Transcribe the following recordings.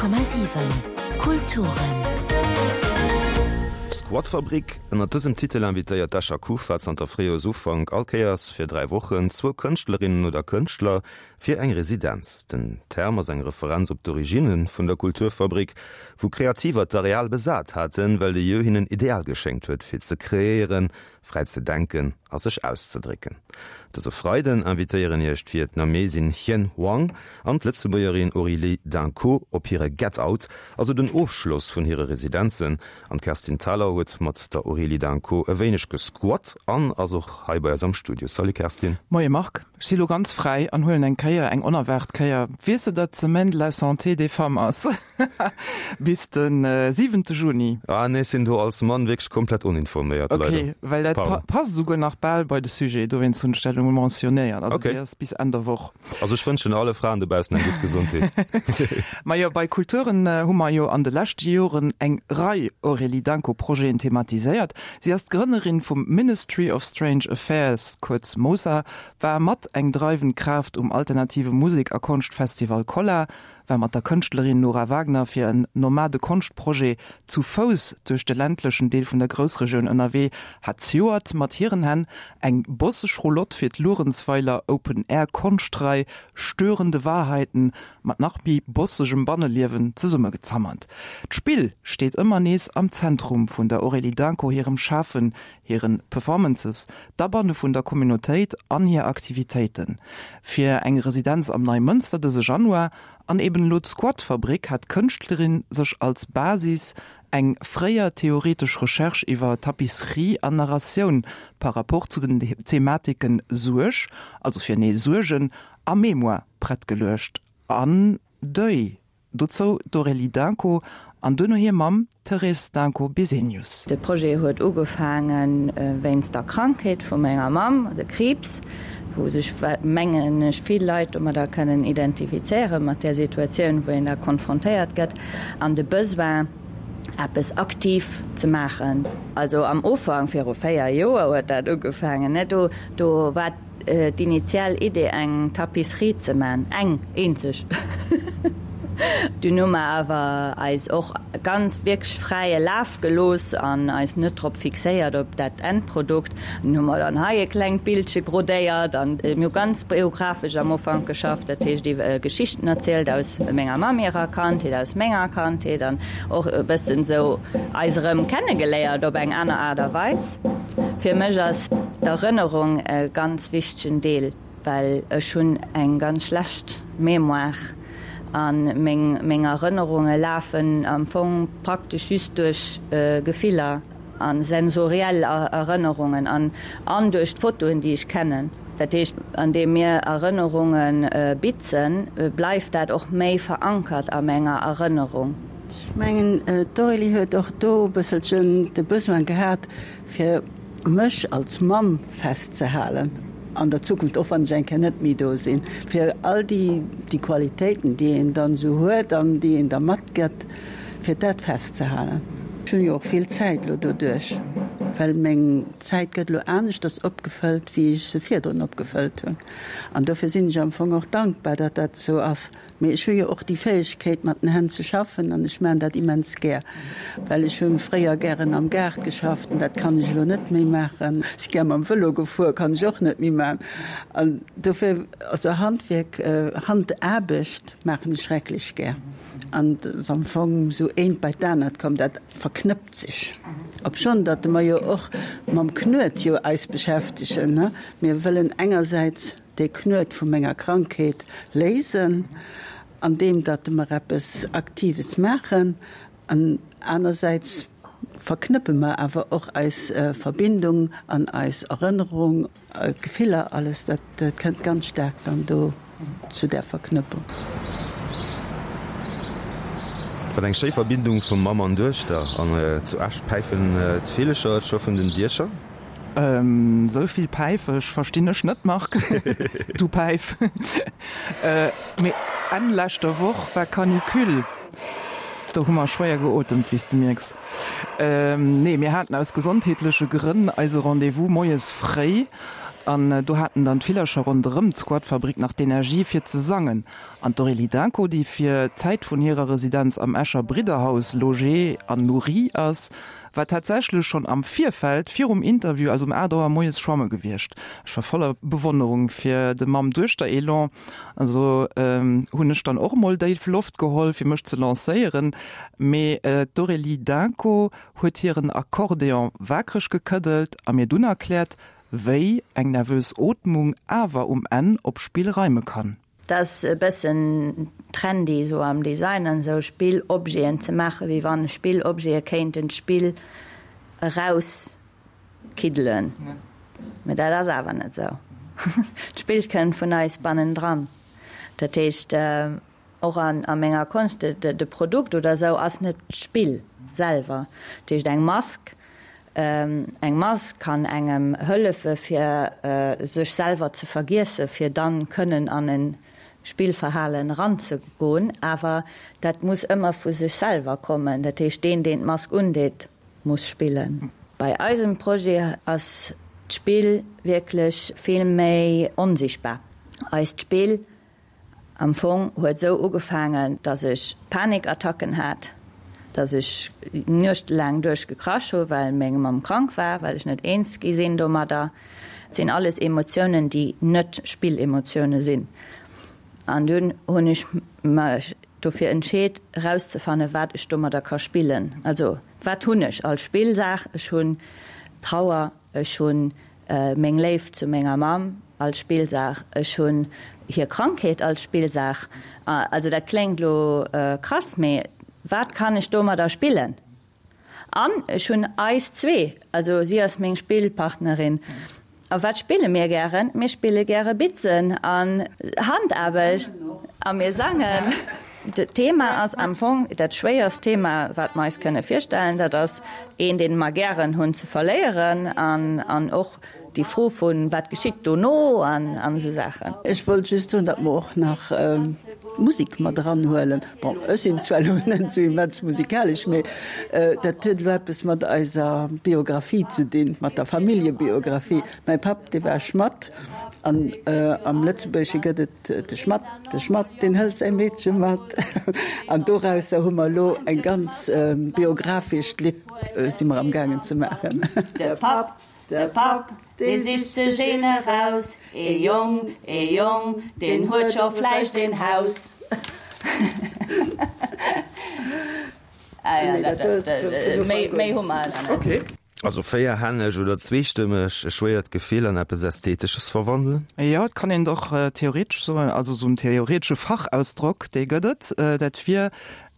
100,7 Kulturen. Squatfabrik, Ënnert dësem Titel invitéiert d'Escher Kufa zanter Fréijoersufank all Kéiers fir 3 Wochen zwou Kënschtlerinnen oder Kënschtler fir eng Residenz. Den Term ass eng Referenz op d'Originne vun der Kulturfabrik, wou Kreativer d'Areal besat haten, well de Lieu hinnen ideal geschéngt huet fir ze kreéieren, fräi ze denken a sech auszedrécken. Dëse Freiden invitéieren Iech d'Vietnamesin Hien Hoang an d'Lëtzebuergerin Aurélie Dunco op hire Get Out, also den Ofschloss vun hire Residenzen. An d'Kerstin Thalau huet mat der Aurélie Dunco e wéineg gesquat an ass och hei bei eis am Studio. Salut Kerstin. Moie Marc. Ech si lo ganz fräi an huelen eng Kéier, eng onerwaart Kéier, weess de datt d'Semaine de la Santé des Femmes ass bis de siwente Juni? Ah nee, ech sinn do als Mann wierklech komplett oninforméiert, leider. Ok, well dat Pardon. passt esouguer nach bal bei de Sujet, dowéinst hunn ech dat elo mentionnéiert. Also Ok. déi ass bis Enn der Woch. Also ech wënschen alle Fraen dobaussen eng gutt Gesondheet. Majo, bei Kulturen hu mer jo an de leschte Joren eng Rei Aurélie Danko-Projeten thematiséiert. Si ass d'Grënnerin vum Ministry of Strange Affairs, kuerz MOSA, war mat eng dreiwend Kraaft um alternative Musek a Konschtfestival Kolla, war mat der Kënschtlerin Nora Wagner fir en nomade Konschtprojet zu Fouss duerch de ländlechen Deel vun der Groussregioun ënnerwee, hat zejoert mat hiren Hänn eng bosseg Roulotte fir d'Luerenzweiler Open Air Konschtrei Störende Wahrheiten mat nach méi bossegem Banneliewen zesummegezammert. D'Spill steet ëmmer nees am Zentrum vun der Aurélie Danko hirem Schafen, hire Performances, d'Abanne vun der Communautéit an hir Aktivitéiten. Fir eng Residenz am Neimënster dëse Januar an eben elo d'Squatfabrik hat d'Kënschtlerin sech als Basis eng fréier theoretesch Recherche iwwer Tapisserie an Narratioun par rapport zu den Thematiken Suerg, also fir nee Suergen, a Mémoire prett geluecht an Deuil. Dozou d'Aurélie Dunco an duerno hir Mamm Thérèse Dunco-Bisenius. De Projet huet ugefaange wéinst der Krankheet vu menger Mamm, de Kriibs, wou sech, mengen ech, vill Leit domadder kënnen identifizéieren, mat där Situatioun, wou een da konfrontéiert gëtt, an de Besoin, eppes aktiv ze maachen. Also am Ufank, viru 4 Joer huet dat ugefaangen, ne, do, do war D'initial Idee eng Tapisserie ze man, eng eenzeg. Dunn hu mer awer eis och ganz wierklech fräie Laf gelooss an eis net drop fixéiert op dat Endprodukt. Dunn hu mer dann hei e klengt Bildche brodéiert an mir hu ganz biographesch am Ufank geschafft, dat heescht iwwer Geschichten erzielt aus menger Mamm hirer Kandheet, aus menger Kandheet an och e bëssen esou eis erëm kennegeléiert op eng aner Aart a Weis. Fir mech ass d'Erënnerung e ganz wichtegen Deel, well ech hunn eng ganz schlecht Mémoire a meng meng Erënnerunge lafen am Fong praktesch just duerch Gefiller a sensoriell Erënnerungen an an duerch d'Fotoen, déi ech kennen. Dat heescht, andeem mir Erënnerunge bitzen, bleift dat och méi verankert a menger Erënnerung. Ech mengen, d'Aurélie huet och do e bësselchen de Besoin gehat, fir mech als Mamm festzehalen an der Zukunft, och wann ech eng Kéier net méi do sinn, fir all déi, déi Qualitéiten, déi een dann esou huet an déi een da matgëtt, fir dat festzehalen. Ech hunn jo och vill Zäit elo doduerch, well meng Zäit gëtt elo aneschters opgefëllt, wéi ech se virdrun opgefëllt hunn. An dofir sinn ech am Fong och dankbar, datt dat esou ass. Mee ech hu jo och déi Fäegkeet mat den Hänn ze schaffen an ech maachen dat immens gär, well ech hu fréier gären am Gaart geschafft an dat kann ech elo net méi maachen. Si gär mam Vëlo gefuer, kann ech och net méi maachen an dofir, also Handwierk, Handaarbecht maachen ech schrecklech gär an et ass am Fong esou eent bei d'anert komm, dat verknëppt sech. Obschonn datt mer jo och mam Knuet jo eis beschäftegen, ne, mir wëllen engersäits, dee Knuet vu menger Krankheet léisen, andeem datt mer eppes Aktives maachen, an anersäits verknëppe mer awer och eis Verbindung an eis Erënnerung, d'Gefiller, alles dat kënnt ganz staark dann do zu där Verknëppung. Wat eng schéi Verbindung vu Mamm an Duechter. An zu Esch päifen d'Villecher et scho vun den Diecher. Sou vill Päifesch verstinn ech net, Marc. Du Päif. Mee Enn leschter Woch war Canicule. Do hu mer schwéier geotemt, wéi s de mierks. Nee, mir haten aus gesondheetleche Grënn eise Rendez-vous moies fréi. An do haten dann d'Villercher ronderëm d'Squatfabrik nach d'Energie fir ze sangen. An d'Aurélie Dunco, déi fir d'Zäit vun hirer Residenz am Escher Bridderhaus logée an nourrie ass, war tatsächlech schonn am Virfeld, virum Interview, also um 8 Auer moies schwamme gewiescht. Ech war voller Bewonnerung fir de Mamm-Duechter-Elan. Also hunn ech dann och emol déif Loft geholl, fir mech ze lancéieren. Mee d'Aurélie Dunco huet hiren Akkordeon waakreg gekëddelt a mir dunn erkläert, wéi eng nervös Ootmung awer um Enn op Spill reime kann. Dat ass e bëssen trendy esou am Design an esou, Spillobjeten ze maachen, wéi wann Spillobjete kéinten d'Spill erauskiddelen. Mee dat ass awer net esou. D'Spill kënnt vun eis bannendran. Dat heescht, Och a menger Konscht, de Produkt oder esou ass net d'Spill selwer. Dat heescht eng Mask, eng Mask kann engem hëllefe fir sech selwer ze vergiessen, fir dann kënnen an e Spillverhalen eranzegoen. Awer dat muss ëmmer vu sech selwer kommen. Dat heescht deen, deen d'Mask undeet, muss spillen. Bei eisem Projet ass d'Spill wierklech vill méi onsichtbar. Eist Spill Am Fong huet sou ugefaangen, dass ech Panikattacken hat, dass ech nuechtelaang duerch gekrasch hu well meng Mamm krank war, well ech net eens gi sinn domadder. Et sinn alles Emotiounen, déi net Spillemotioune sinn. An dunn hunn ech mech dofir entscheet erauszefanne wat ech domadder ka spillen. Also wat hunn ech als Spillsaach? Ech hunn Trauer, Ech hunn meng Léift zu menger Mamm als Spillsaach, ech hunn hir Krankheet als Spillsaach. Also dat kléngt elo krass, mee wat kann ech domadder spillen? An ech hunn eis zwee, also si ass meng Spillpartnerin. A wat spille mir gären? Mir spille gäre Bitzen an Handaarbecht a mir sangen. D'Thema ass am Fong dat schwéierst Thema, wat mer eis kënne virstellen. Dat ass een, dee mer gären hunn, ze verléieren an och déi Fro vu wat geschitt dono an esou Saachen. Ech wollt just soen, datt mer och nach d'Musek mat eranhuelen. Bon, ech sinn zwar elo net esou immens musikalesch, mee dat huet elo eppes mat eiser Biographie ze dinn, mat der Familljebiografie. Mäi Papp, dee war Schmadd an am Lëtzebuergesche gëtt et De Schmadd, de Schmadd, deen hëlt säi Meedche mat. An dorausser hu mer elo eng ganz biografescht Lidd si mer am gaangen ze maachen. De Papp, de Papp, dee sicht sech een eraus, ee Jong, ee Jong, deen huet scho vläicht een Haus. Ah jo, dat, méi, méi hu mer awer net. Also véierhänneg oder zweestëmmeg e schwéiert Gefill an eppes Ästhetesches verwandelen? Jo, et kann een et och theoretesch soen, also esou en theoretesche Fachausdrock, dee gëtt et, dat wier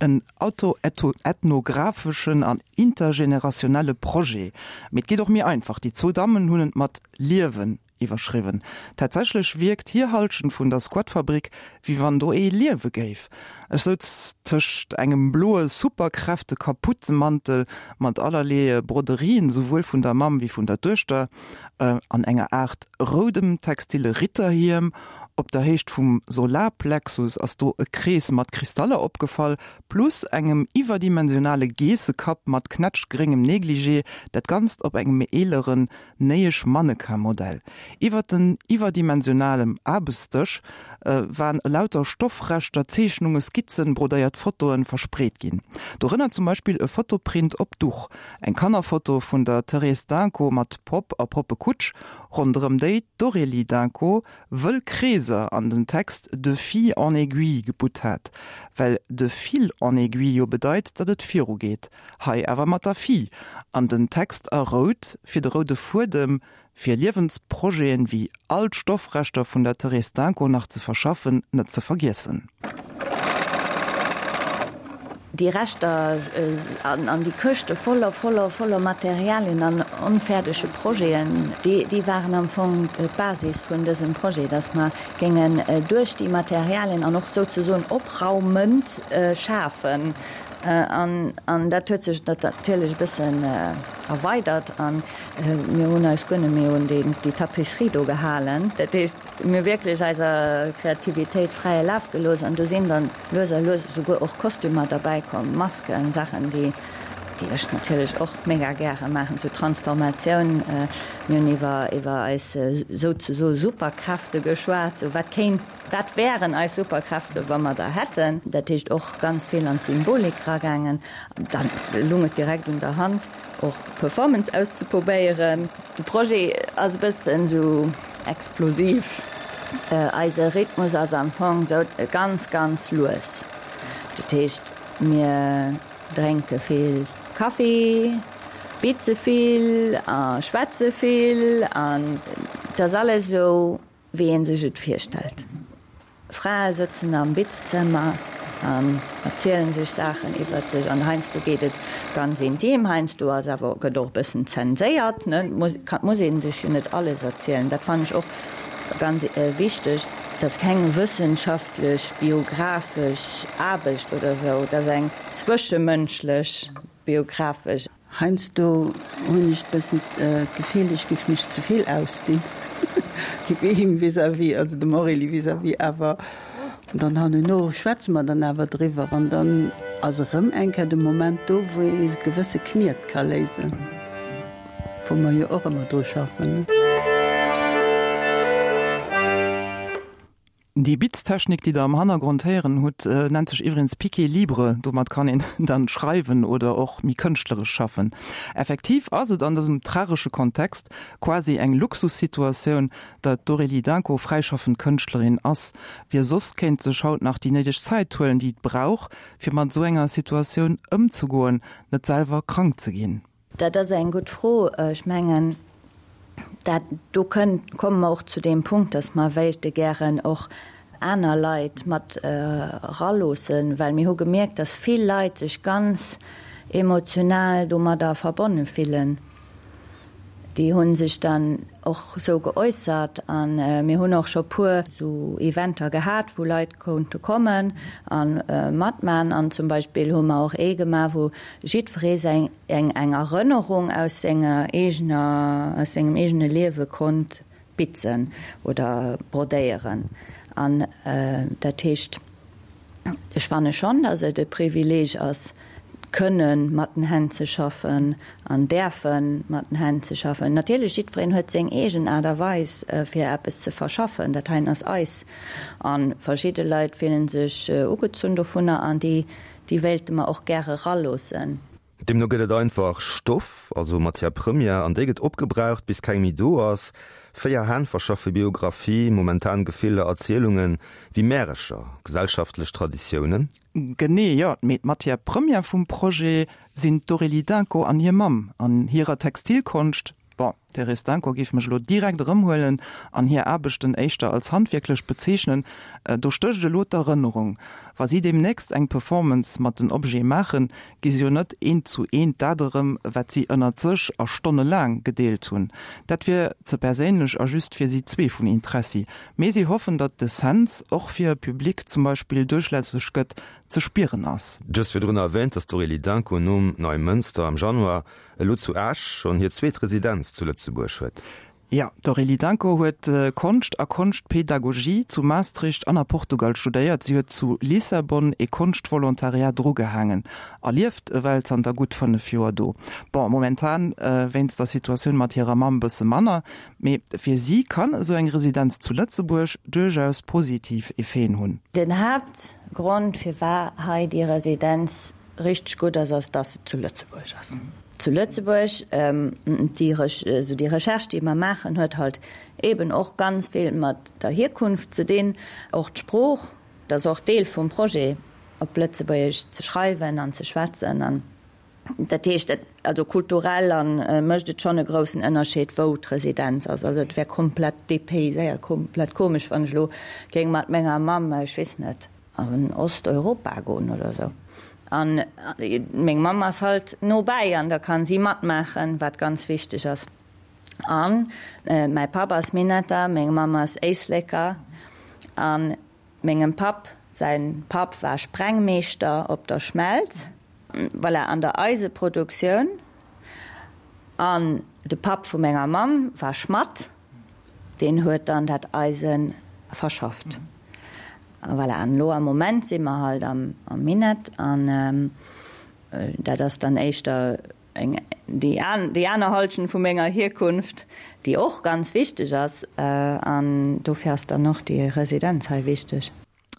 en autoethnographeschen an intergenerationelle Projet. Mee et geet och méi einfach, déi zwou Dammen hunn et mat Liewen Iwwerschriwwen. Tatsächlech wierkt hir Halschent vun der Squatfabrik, wéi wann do ee liewe géif. Ech souz tëscht engem bloe Superkräfte-Kapuzemantel mat allerlee Broderien, souwuel vun der Mamm wéi vun der Duechter, an enger Aart roudem textile Ritterhiem. Op der Héicht vum Solarplexus ass do e Krees mat Kristaller opgefall, plus engem iwwerdimensionale Geessekapp mat knätschgréngem Negligé, dat Ganzt op engem méi eeleren Néiesch Mannequin-Modell. Iwwer den iwwerdimensionalem Aarbechtsdësch waren elauter Stoffreschter, Zeechnungen, Skizzen, brodéiert Fotoen verspreet ginn. Dorënner zum Beispill e Fotoprint op Duch, eng Kannerfoto vun der Thérèse Dunco mat Popp a Poppekutsch, ronderëm déi d'Aurélie Dunco wëll Kreeser an den Text de fille en aiguille gebutt hat, well de fil en aiguille jo bedeit, datt et virugeet. Hei awer mat der Fille, an den Text a rout fir de roude Fuedem, fir Liewensprojeten wéi all d'Stoffreschter vun der Thérèse Dunco nach ze verschaffen, net ze vergiessen. Déi Reschter an déi Këschte voller, voller, voller Materialien an onfäerdege Projeten, déi waren am Fong d'Basis vun dësem Projet, dass mer géingen duerch déi Materialien an och souzesoen opraumend schafen. An dat huet sech natierlech e bëssen erweidert a mir hunn eis guer net méi un déi Tapisserie do gehalen. Dat heescht, mir hu wierklech eiser Kreativitéit fräie Laf gelooss an do sinn dann lues a lues esouguer och Kostümer derbäi komm, Masken, Saachen, déi. Déi ech natierlech och mega gäre maachen, sou Transformatioun. Mir hunn iwwer iwwer eis souzesoe Superkräfte geschwat, sou wat kéint, wat wären eis Superkräfte wa mer der hätten. Dat heescht och ganz vill an d'Symbolik ragaangen. Dann lung et direkt un der Hand och Performance auszeprobéieren. De Projet ass e bëssen sou explosiv. Eise Rhythmus ass am Fong sou ganz ganz lues. Dat heescht mir. Drénke vill Kaffi, bitze vill a schwätze vill an et ass alles esou, wéi ee sech et virstellt. Frae sëtzen am Bitzzëmmer an erzielen sech Saachen iwwert sech an heiansdo geet et ganz intim, heiansdo ass awer, gëtt och e bëssen zenséiert, ne, et muss ee sech jo net alles erzielen. Dat fannen ech och ganz wichteg. Et ass keng wëssenschaftlech, biografesch Aarbecht oder esou, et ass eng zwëschemënschlech, biografesch. Heiansdo hunn ech e bëssen d'Gefill, ech géif mech ze vill ausdinn him vis-à-vis, also dem Aurélie vis-à-vis, awer dann herno schwätze mer dann awer driwwer an dann ass erëm eng Kéier de Moment do, wou ee gewësse Kniet ka léisen. Wou mer jo och ëmmer dru schaffen. Déi Bitztechnik, déi der am Hannergrond héieren hutt, nennt sech iwwregens Piqué libre. Domat kann een dann schreiwen oder och méi kënschtleresch schaffen. Effektiv ass et an dësem tragesche Kontext quasi eng Luxussituatioun, datt d'Aurélie Dunco fräischaffend Kënschtlerin ass. Wie soss kéint sech haut nach déi néideg Zäit huelen, déi et brauch, fir mat esou enger Situatioun ëmzegoen, net selwer krank ze ginn? Dat ass eng gutt Fro. Ech mengen, dat do kënnt, komme mer och zu deem Punkt, dass mer wéilte gären och aner Leit mat eraloossen, well mir hu gemierkt, dass vill Leit sech ganz emotional domadder verbonne fillen. Déi hu sech dann och esou geäussert a mir hunn och scho puer esou Eventer gehat, wou Leit konnte kommen a matman. An zum Beispill hu mer och ee gemaach, wou jiddweree säin eng eng Erënnerung aus senger eegener, aus sengem eegene Liewe konnt bitzen oder brodéieren. An dat heescht, ech fanne schonn, datt et e Privileeg ass, kënne mat den Hänn ze schaffen an däerfe mat den Hänn ze schaffen. Natierlech, jiddwereen huet seng eegen Aart a Weis, fir eppes ze verschaffen. Dat heien ass eis. A verschidde Leit fillen sech ugezunn dovunner an déi Déi wéilte mer och gäre raloossen. Deemno gëtt et einfach Stoff, also Matière première, an déi gëtt opgebraucht, bis keng méi do ass. 4 Hänn verschaffe Biographie, momentan Gefiller, Erzielungen, wéi Märecher, gesellschaftlech Traditiounen. Genee, jo. Mee d'Matière première vum Projet sinn d'Aurélie Dunco an hir Mamm an hirer Textilkonscht. Bon, d'Thérèse Danko géif mech elo direkt erëmhuelen an hir Aarbechten éischter als handwierklech bezeechnen. Do stécht elo d'Erënnerung. Wa si deemnächst eng Performance mat den Objete maachen, gi se jo net eent zu eent dat erëm, wat si ënnert sech a stonnelaang gedeelt hunn. Dat wier ze perséinlech a just fir si zwee vun Interessi. Mee si hoffen, datt d'Essenz och fir e Public zum Beispill duerchlässeg gëtt, ze spieren ass. Du hues virdrun erwähnt, datt d'Aurélie Dunco nom Neimënster am Januar elo zu Esch schonn hir zweet Residenz zu Lëtzebuerg huet. Jo, d'Aurélie Dunco huet Konscht a Konschtpedagogie zu Maastricht an a Portugal studéiert. Si huet zu Lissabon ee Konschtvolontariat drugehaangen a lieft ewell zanter gutt 5 Joer do. Bon, momentan wéinst der Situatioun mat hirer Mamm bësse manner, mee fir si kann esou eng Residenz zu Lëtzebuerg duerchaus positiv Effeten hunn. Den Haaptgrond firwat hei déi Residenz richteg gutt ass, ass, dass se zu Lëtzebuerg ass. Zu Lëtzebuerg, déi esou déi Recherche, déi mer maachen, huet halt eeben och ganz vill mat der Hierkunft ze dinn, och d'Sprooch, dat ass och Deel vum Projet, op Lëtzebuergesch ze schreiwen an ze schwätzen. An dat heescht, dat, also kulturell a mécht et schonn e groussen Ënnerscheed, wou d'Residenz ass. Also et wär komplett dépayséiert, komplett komesch, wann ech elo géing mat menger Mamm, ech weess net, an Osteuropa goen oder sou. An meng Mamm ass halt no bäi an da kann si matmaachen, wat ganz wichteg ass. An mäi Papp ass Minetter, meng Mamm ass Éisleker an mengem Papp säin Papp war Sprengmeeschter op der Schmelz, voilà, an der Eiseproduktioun. An de Papp vu menger Mamm war Schmadd. Deen huet dann dat Eise verschafft. Voilà, an elo am Moment si mer halt am Minett an. Dat ass dann éischter eng, déi déi aner Halschent vu menger Hierkunft, déi och ganz wichteg ass. An dofir ass dann och déi Residenz hei wichteg.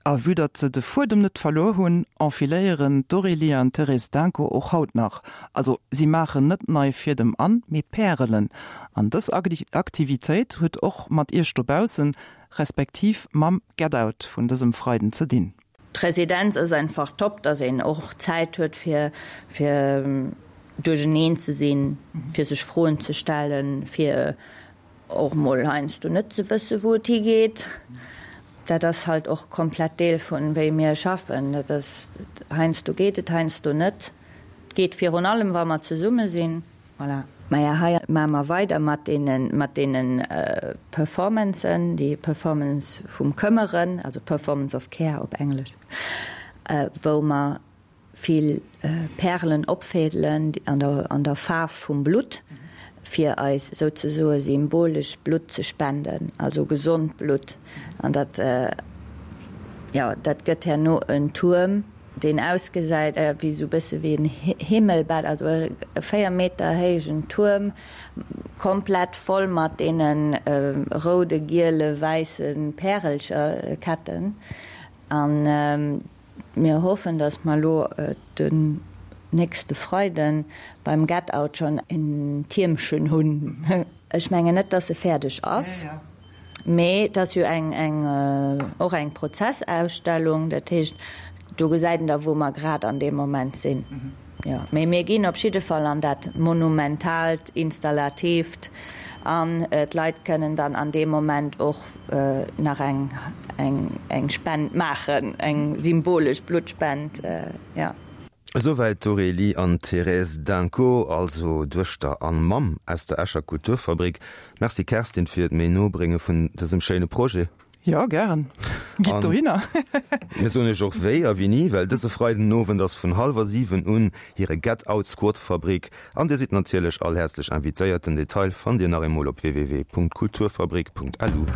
A vue datt se de Fuedem net verluer hunn, enfiléieren d'Aurélie an d'Thérèse Danko och haut nach. Also si maachen net nei Fiedem an, mee Pärelen. An dës Aktivitéit huet och mat iech dobaussen, respektiv mam Get Out vun dësem Freiden ze dinn. D'Residenz ass einfach top, datt een och Zäit huet fir fir duercheneen ze sinn, fir sech Froen ze stellen, fir Och mol heiansdo net ze wësse wou et higeet. Dat ass halt och komplett Deel vun wéi mir schaffen. Dat ass, heiansdo geet et, heiansdo net. Et geet virun allem wa mer zesumme sinn. Voilà. Maja hei maache mer weider mat deene mat deene Performancen, déi Performance vum Këmmeren, also Performance of Care op Englesch, wou mer vill Pärelen opfädelen an der Faarf vum Blutt, fir eis souzesoe symbolesch Blutt ze spenden, also gesond Blutt. An dat, jo, dat gëtt herno en Tuerm, deen ausgesäit wéi esou e bësse wéi en Himmelbett, also e 4 Meter héijen Tuerm, komplett voll mat deene roude, giele, wäisse Pärelcherketten. An Mir hoffen, dass mer elo den nächste Freiden beim Get Out schonn en Tiermchen hunn. Ech mengen net, dass e fäerdeg ass, mee et ass jo eng, eng, och eng Prozessausstellung. Dat heescht, do gesäit een da, wou mer grad an deem Moment sinn. Jo, mee mir ginn op jidde Fall an dat Monumentaalt, Installatiivt an d'Leit kënnen dann an deem Moment och nach eng, eng, eng Spend maachen, eng symbolesch Bluttspend, jo. Esouwäit d'Aurélie an d'Thérèse Danko, also Duechter an Mamm aus der Escher Kulturfabrik. Merci Kerstin fir d'méi no brénge vun dësem schéine Projet. Jo, gären. Gitt dohinner. Mir soen iech och wéi a wéini, well dëse Freiden Owend ass vun hallwer 7 un hire Get Out Squad Fabrik an dir sidd natierlech all häerzlech invitéiert. Den Detail fannt dir nach eemol op www.kulturfabrik.lu.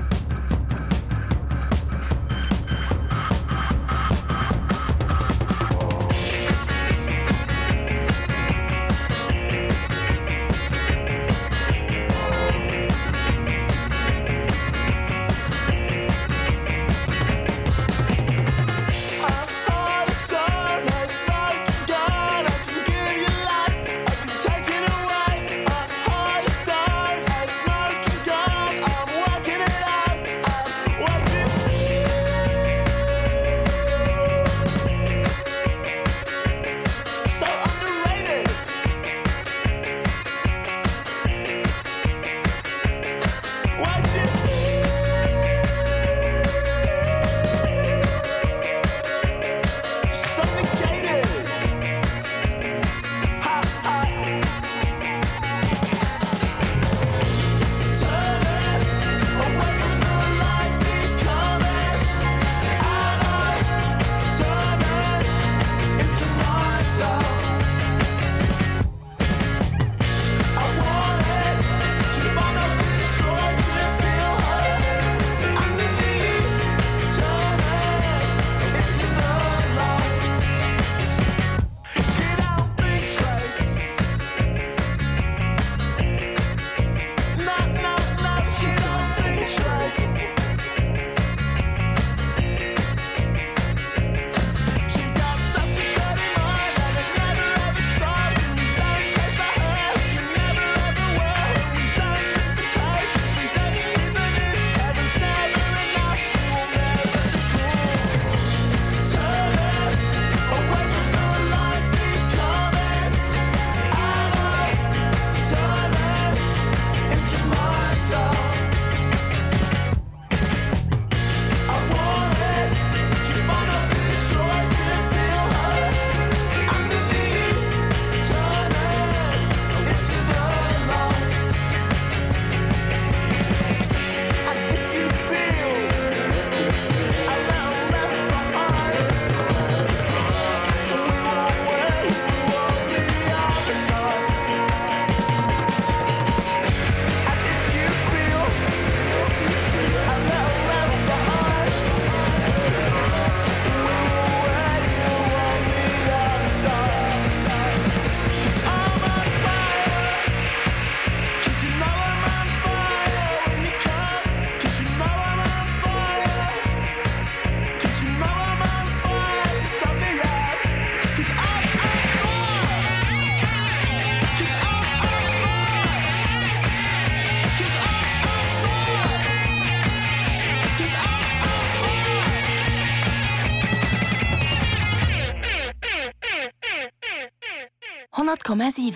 100,7.